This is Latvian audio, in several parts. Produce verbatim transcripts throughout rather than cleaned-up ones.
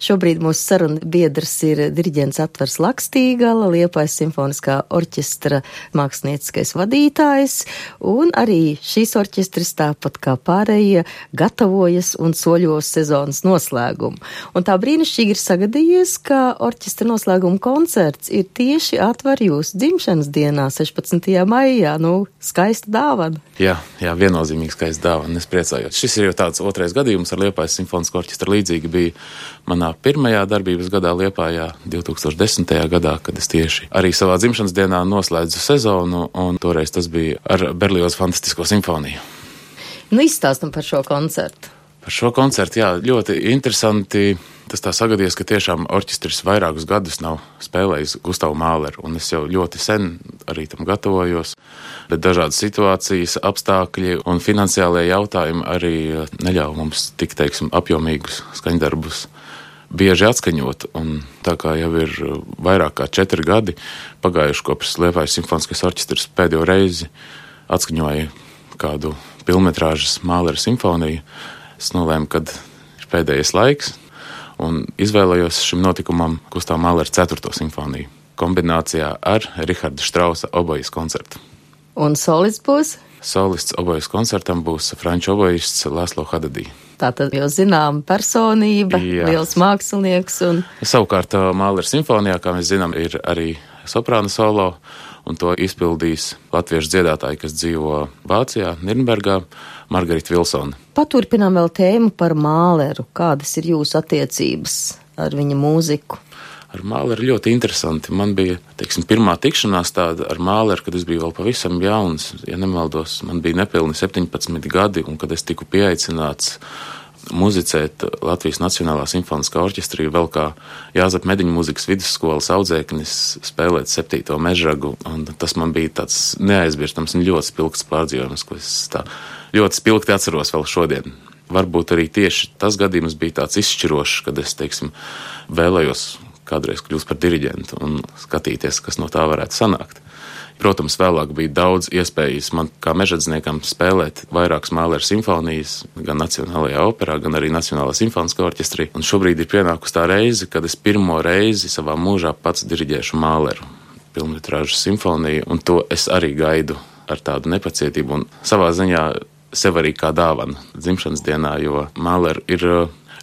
Šobrīd mūsu saruna biedrs ir diriģents Atvars Lakstīgala, Liepājas simfoniskā orķestra mākslinieckais vadītājs, un arī šīs orķestris tāpat kā pārējie gatavojas un soļos sezonas noslēgumu. Un tā brīnišķīgi ir sagadījies, ka orķestra noslēguma koncerts ir tieši Atvar jūsu dzimšanas dienā, sešpadsmitajā maijā. Nu, skaista dāvana. Jā, jā, viennozīmīgi skaista dāvana, es priecājos. Šis ir jau tāds otrais gadījums ar Liepājas simfonisko orķestru. Līdzīgi bija manā pirmajā darbības gadā Liepājā, divi tūkstoši desmitajā gadā, kad es tieši arī savā dzimšanas dienā noslēdzu sezonu, un toreiz tas bija ar Berlioz fantastisko simfoniju. Nu, izstāstam par šo koncertu. Par šo koncertu, jā, ļoti interesanti. Tas tā sagadījies, ka tiešām orķestris vairākus gadus nav spēlējis Gustavu Mahleru, un es jau ļoti sen arī tam gatavojos, bet dažādas situācijas, apstākļi un finansiālie jautājumi arī neļauj mums tik, teiksim, apjomīgus skaņdarbus bieži atskaņot, un tā kā jau ir vairāk kā četri gadi pagājuši kopš Liepājas simfoniskais orķestris pēdējo reizi atskaņoja kādu pilnmetrāžas Mahlera simfoniju, es nolēmu, kad ir pēdējais laiks, un izvēlējos šim notikumam Gustava Mahlera ceturto simfoniju kombinācijā ar Riharda Štrausa obojas koncertu. Un solists būs? Solists obojas koncertam būs franču obojists Laslo Hadadī. Tātad jau zinām personība, jā. Liels mākslinieks. Un... Savukārt Mahlera simfonijā, kā mēs zinām, ir arī soprāna solo, un to izpildīs latviešu dziedātāji, kas dzīvo Vācijā, Nirnbergā, Margarita Vilsona. Paturpinām vēl tēmu par Mahleru. Kādas ir jūsu attiecības ar viņa mūziku? Ar Mahleru ļoti interesanti. Man bija, teiksim, pirmā tikšanās tāda ar Mahleru, kad es biju vēl pavisam jauns. Ja nemaldos, man bija nepilni septiņpadsmit gadi, un kad es tiku pieaicināts muzicēt Latvijas Nacionālā simfoniskā orķestrī, vēl kā Jāzep Mediņu mūzikas vidusskolas audzēknis spēlēt septīto mežragu, un tas man bija tāds neaizmirstams un ļoti spilgts pārdzīvojums, ko es tā ļoti spilgti atceros vēl šodien. Varbūt arī tieši tas gadījums bija tāds izšķirošs, kad es, teiksim, vēlējos kādreiz kļūst par diriģentu un skatīties, kas no tā varētu sanākt. Protams, vēlāk bija daudz iespējas man kā mežadzniekam spēlēt vairākas Mahlera simfonijas, gan Nacionālajā operā, gan arī Nacionālā simfoniskā orķestrī. Un šobrīd ir pienākusi tā reize, kad es pirmo reizi savā mūžā pats diriģēšu Mahleru pilnmetrāžas simfoniju, un to es arī gaidu ar tādu nepacietību un savā ziņā sev arī kā dāvanu dzimšanas dienā, jo Mahleru ir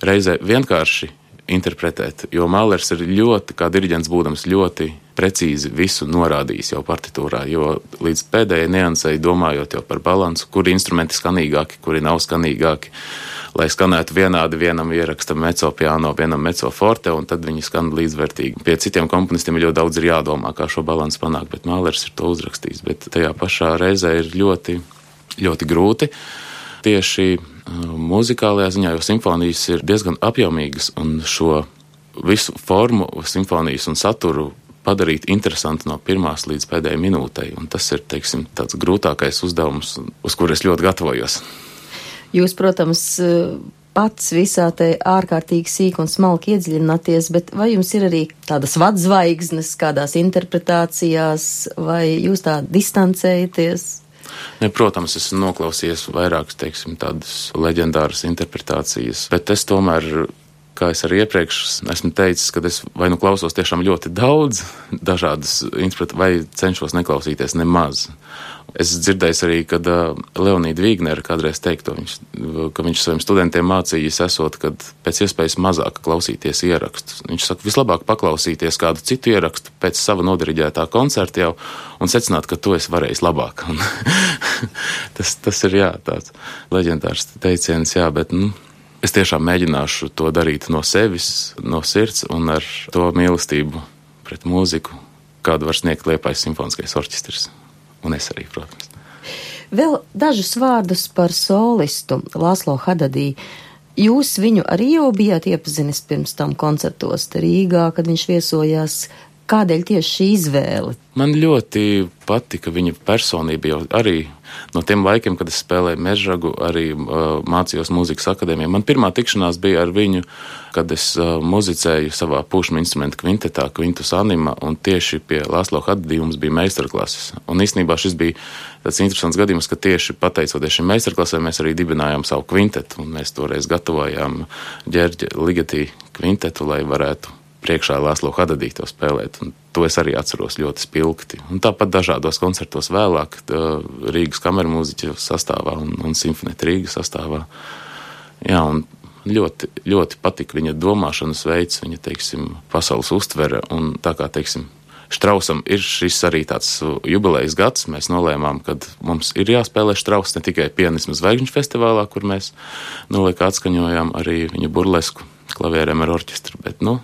reizē vienkārši interpretēt, jo Mahlers ir ļoti, kā diriģents būdams, ļoti precīzi visu norādījis jau partitūrā, jo līdz pēdējai niansei domājot jau par balansu, kuri instrumenti skanīgāki, kuri nav skanīgāki, lai skanētu vienādi, vienam ieraksta mezzo piano, vienam mezzo forte, un tad viņi skan līdzvērtīgi. Pie citiem komponistiem ļoti daudz ir jādomā, kā šo balansu panākt, bet Mahlers ir to uzrakstījis, bet tajā pašā reizē ir ļoti, ļoti grūti. Tieši muzikālajā ziņā, jo simfonijas ir diezgan apjomīgas, un šo visu formu, simfonijas un saturu padarīt interesanti no pirmās līdz pēdējai minūtei, un tas ir, teiksim, tāds grūtākais uzdevums, uz kur es ļoti gatavojos. Jūs, protams, pats visā te ārkārtīgi sīk un smalki iedziļināties, bet vai jums ir arī tādas vadzvaigznes kādās interpretācijās, vai jūs tā distancējaties? Ne, protams, esmu noklausījies vairākas, teiksim, tādas leģendāras interpretācijas, bet es tomēr, kā es arī iepriekš esmu teicis, kad es vai nu klausos tiešām ļoti daudz dažādas interpretācijas, vai cenšos neklausīties nemaz. Es dzirdēju arī, kad uh, Leonīda Vīgnera kādreiz teikto, viņš, ka viņš saviem studentiem mācījis esot, kad pēc iespējas mazāk klausīties ierakstus. Viņš saka, vislabāk paklausīties kādu citu ierakstu pēc sava nodiriģētā koncerta jau un secināt, ka to es varēju labāk. tas, tas ir, jā, tāds leģendārs teiciens, jā, bet, nu, es tiešām mēģināšu to darīt no sevis, no sirds un ar to mīlestību pret mūziku, kādu var sniegt Liepājas simfoniskais orķestris. Un es arī, protams. Vēl dažus vārdus par solistu Laslo Hadadī. Jūs viņu arī jau bijāt iepazinis pirms tam koncertos te Rīgā, kad viņš viesojās. Kādēļ tieši šī izvēle? Man ļoti patika viņa personība jau arī no tiem laikiem, kad es spēlēju mežragu, arī uh, mācījos mūzikas akadēmijā. Man pirmā tikšanās bija ar viņu, kad es uh, muzicēju savā pušmu instrumentu kvintetā, Quintus Anima, un tieši pie Laslo Hadadī mums bija meistarklases. Un īstenībā šis bija tāds interesants gadījums, ka tieši pateicoties šim meistarklasēm mēs arī dibinājām savu kvintetu, un mēs toreiz gatavojām Ģerģa Ligetī kvintetu, lai varētu priekšā Lāslo Hadadī to spēlēt. Un to es arī atceros ļoti spilgti. Un tāpat dažādos koncertos vēlāk Rīgas kameru mūziķu sastāvā un, un Simfonēta Rīgas sastāvā. Jā, un ļoti, ļoti patika viņa domāšanas veids, viņa, teiksim, pasaules uztvere. Un tā kā, teiksim, Štrausam ir šis arī tāds jubilejas gads, mēs nolēmām, ka mums ir jāspēlē Štrauss ne tikai Pianisma zvaigžņu festivālā, kur mēs nolika atskaņojām arī viņa burlesku klavierēm ar orķestru, bet, nu,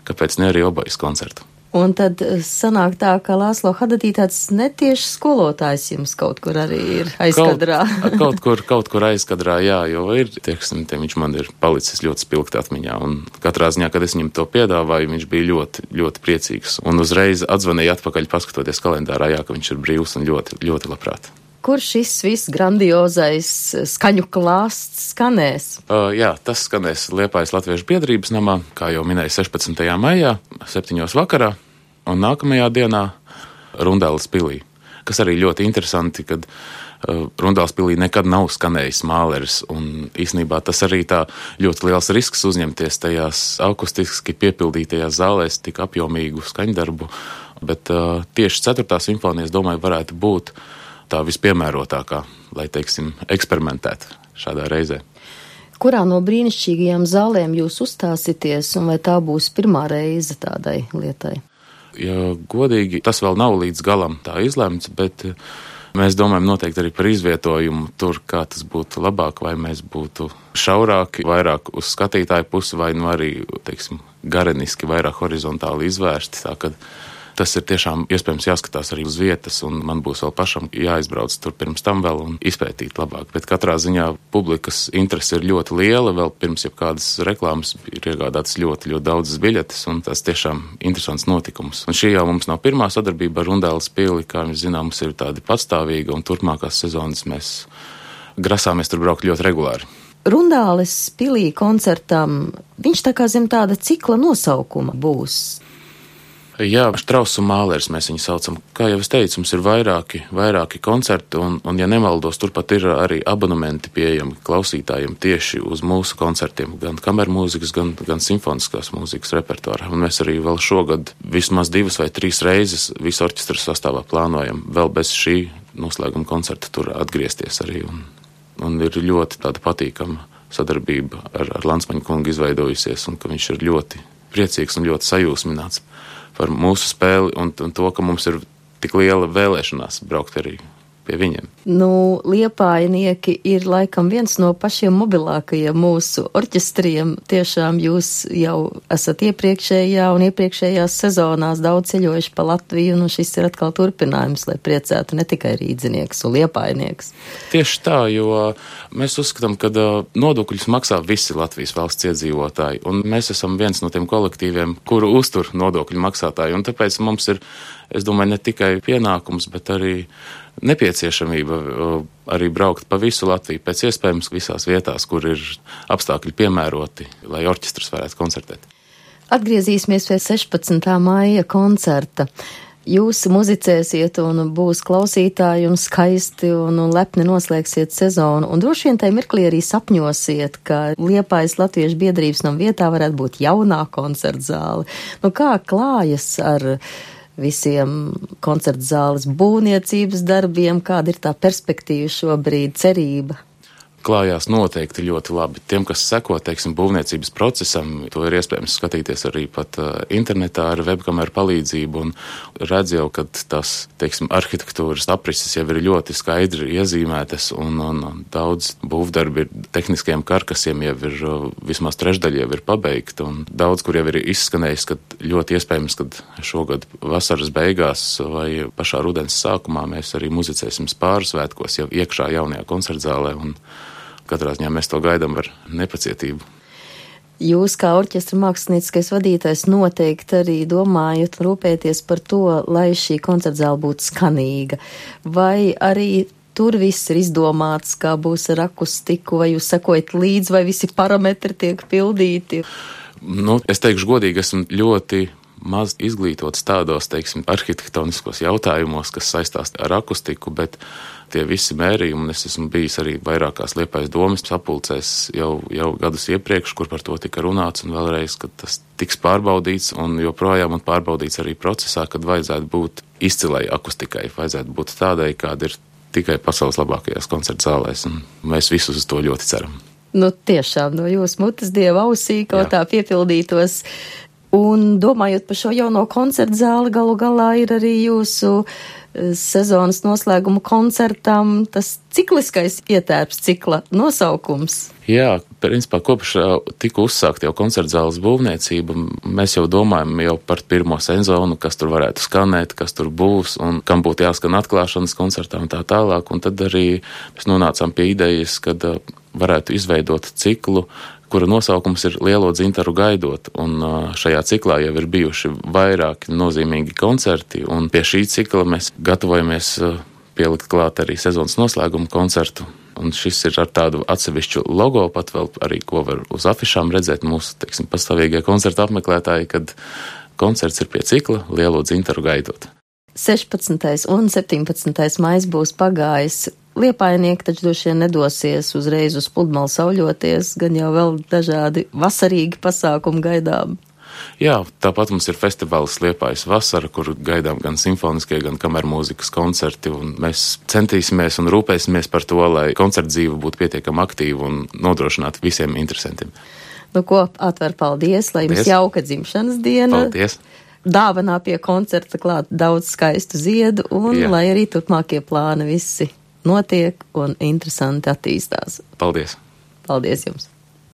kāpēc ne arī obojas koncertu. Un tad sanāk tā, ka Lāslo Hadadī tāds netieši skolotājs jums kaut kur arī ir aizkadrā. Kaut, kaut kur, kaut kur aizkadrā, jā, jo ir, tieksim, te viņš man ir palicis ļoti spilgti atmiņā. Un katrā ziņā, kad es viņam to piedāvāju, viņš bija ļoti, ļoti priecīgs. Un uzreiz atzvanīja atpakaļ, paskatoties kalendārā, jā, ka viņš ir brīvs un ļoti, ļoti labprāt. Kur šis viss grandiozais skaņu klāsts skanēs? Uh, jā, tas skanēs Liepājas Latviešu biedrības namā, kā jau minēju, sešpadsmitajā maijā, septiņos vakarā, un nākamajā dienā Rundāles pilī, kas arī ļoti interesanti, kad uh, Rundāles pilī nekad nav skanējis Māleris, un īsnībā tas arī tā ļoti liels risks uzņemties tajās akustiski piepildītajās zālēs tik apjomīgu skaņdarbu, bet uh, tieši ceturtā simfonija, es domāju, varētu būt tā vispiemērotākā, lai, teiksim, eksperimentētu šādā reizē. Kurā no brīnišķīgajām zālēm jūs uzstāsieties, un vai tā būs pirmā reize tādai lietai? Ja godīgi, tas vēl nav līdz galam tā izlemts, bet mēs domājam noteikti arī par izvietojumu tur, kā tas būtu labāk, vai mēs būtu šaurāki, vairāk uz skatītāju pusi, vai nu arī, teiksim, gareniski, vairāk horizontāli izvērsti, tā kad tas ir tiešām iespējams jāskatās arī uz vietas, un man būs vēl pašam jāizbrauc tur pirms tam vēl un izpētīt labāk. Bet katrā ziņā publikas interese ir ļoti liela, vēl pirms jebkādas reklāmas ir iegādātas ļoti, ļoti daudzas biļetes, un tas tiešām interesants notikums. Un šī jau mums nav pirmā sadarbība ar Rundāles pili, kā mēs zinām, mums ir tādi patstāvīgi, un turpmākās sezonas mēs grasāmies tur braukt ļoti regulāri. Rundāles pilī koncertam, viņš tā kā zem tāda cikla nosaukuma būs. Jā, Štrauss un Māleris mēs viņu saucam. Kā jau es teicu, mums ir vairāki, vairāki koncerti, un, un ja nemaldos, turpat ir arī abonementi pieejami klausītājiem tieši uz mūsu koncertiem, gan kamermūzikas, gan, gan simfoniskās mūzikas repertuārā. Un mēs arī vēl šogad vismaz divas vai trīs reizes visu orķestra sastāvā plānojam vēl bez šī noslēguma koncerta tur atgriezties arī. Un, un ir ļoti tāda patīkama sadarbība ar, ar Lansmaņa kungu izveidojusies, un ka viņš ir ļoti priecīgs un ļoti sajūsmināts par mūsu spēli un, un to, ka mums ir tik liela vēlēšanās braukt arī pie viņiem. Nu, liepājnieki ir laikam viens no pašiem mobilākajiem mūsu orķestriem. Tiešām jūs jau esat iepriekšējā un iepriekšējās sezonās daudz ceļojuši pa Latviju, un šis ir atkal turpinājums, lai priecētu ne tikai rīdzinieks un liepājnieks. Tieši tā, jo mēs uzskatām, ka nodokļus maksā visi Latvijas valsts iedzīvotāji, un mēs esam viens no tiem kolektīviem, kuru uztur nodokļu maksātāji, un tāpēc mums ir, es domāju, ne tikai pienākums, bet arī nepieciešamība arī braukt pa visu Latviju, pēc iespējams visās vietās, kur ir apstākļi piemēroti, lai orķestrs varētu koncertēt. Atgriezīsimies pie sešpadsmitā maija koncerta. Jūs muzicēsiet un būs klausītāji un skaisti un, un lepni noslēgsiet sezonu, un droši vien tai mirklī arī sapņosiet, ka Liepājas Latviešu biedrības nama vietā varētu būt jaunā koncertzāle. Nu, kā klājas ar visiem koncertzāles būvniecības darbiem, kāda ir tā perspektīva šobrīd, cerība? Klājās noteikti ļoti labi. Tiem, kas seko, teiksim, būvniecības procesam, to ir iespējams skatīties arī pat uh, internetā ar webkameru palīdzību, un redz jau, ka tās, teiksim, arhitektūras aprises jau ir ļoti skaidri iezīmētas, un, un, un daudz būvdarbi ir tehniskajiem karkasiem jau ir, uh, vismaz trešdaļa jau ir pabeigta, un daudz, kur jau ir izskanējis, ka ļoti iespējams, ka šogad vasaras beigās vai pašā rudens sākumā mēs arī muzicēsim Spāru svētkos jau iekšā jaunajā koncertzālē, un katrā ziņā mēs to gaidām ar nepacietību. Jūs kā orķestra mākslinieckais vadītājs noteikti arī domājat, rūpēties par to, lai šī koncertzāle būtu skanīga. Vai arī tur viss ir izdomāts, kā būs ar akustiku, vai jūs sekojat līdzi, vai visi parametri tiek pildīti? Nu, es teikšu godīgi, esmu ļoti maz izglītots tādos, teiksim, arhitektoniskos jautājumos, kas saistās ar akustiku, bet tie visi mērījumi, un es esmu bijis arī vairākās Liepājas domas sapulcēs jau, jau gadus iepriekš, kur par to tika runāts, un vēlreiz, kad tas tiks pārbaudīts, un joprojām un pārbaudīts arī procesā, kad vajadzētu būt izcilai akustikai, vajadzētu būt tādai, kāda ir tikai pasaules labākajās koncerta zālēs, un mēs visus uz to ļoti ceram. Nu, tiešām no jūsu mutes dieva ausī kaut tā piepildītos. Un domājot par šo jauno koncertu zāli, galu galā ir arī jūsu sezonas noslēguma koncertam tas cikliskais ietērps, cikla nosaukums. Jā, principā kopš tika uzsākt jau koncerta zāles būvniecība, mēs jau domājam jau par pirmo sezonu, kas tur varētu skanēt, kas tur būs un kam būtu jāskan atklāšanas koncertā un tā tālāk. Un tad arī mēs nonācām pie idejas, kad varētu izveidot ciklu, kura nosaukums ir Lielo dzintaru gaidot, un šajā ciklā jau ir bijuši vairāki nozīmīgi koncerti, un pie šī cikla mēs gatavojamies pielikt klāt arī sezonas noslēguma koncertu, un šis ir ar tādu atsevišķu logo, pat vēl arī, ko var uz afišām redzēt mūsu, teiksim, pastāvīgie koncertu apmeklētāji, kad koncerts ir pie cikla Lielo dzintaru gaidot. sešpadsmitais un septiņpadsmitais maijs būs pagājis. Liepājnieki taču droši vien nedosies uzreiz uz pludmali sauļoties, gan jau vēl dažādi vasarīgi pasākumi gaidām. Jā, tāpat mums ir festivāls Liepājas vasara, kur gaidām gan simfoniskie, gan kamermūzikas koncerti, un mēs centīsimies un rūpēsimies par to, lai koncerta dzīve būtu pietiekami aktīva un nodrošinātu visiem interesantiem. Nu ko, Atver, paldies, lai jums Paldies. Jauka dzimšanas diena. Paldies. Dāvanā pie koncerta klāt daudz skaistu ziedu, un Jā. lai arī turpmākie plāni visi notiek un interesanti attīstās. Paldies. Paldies jums!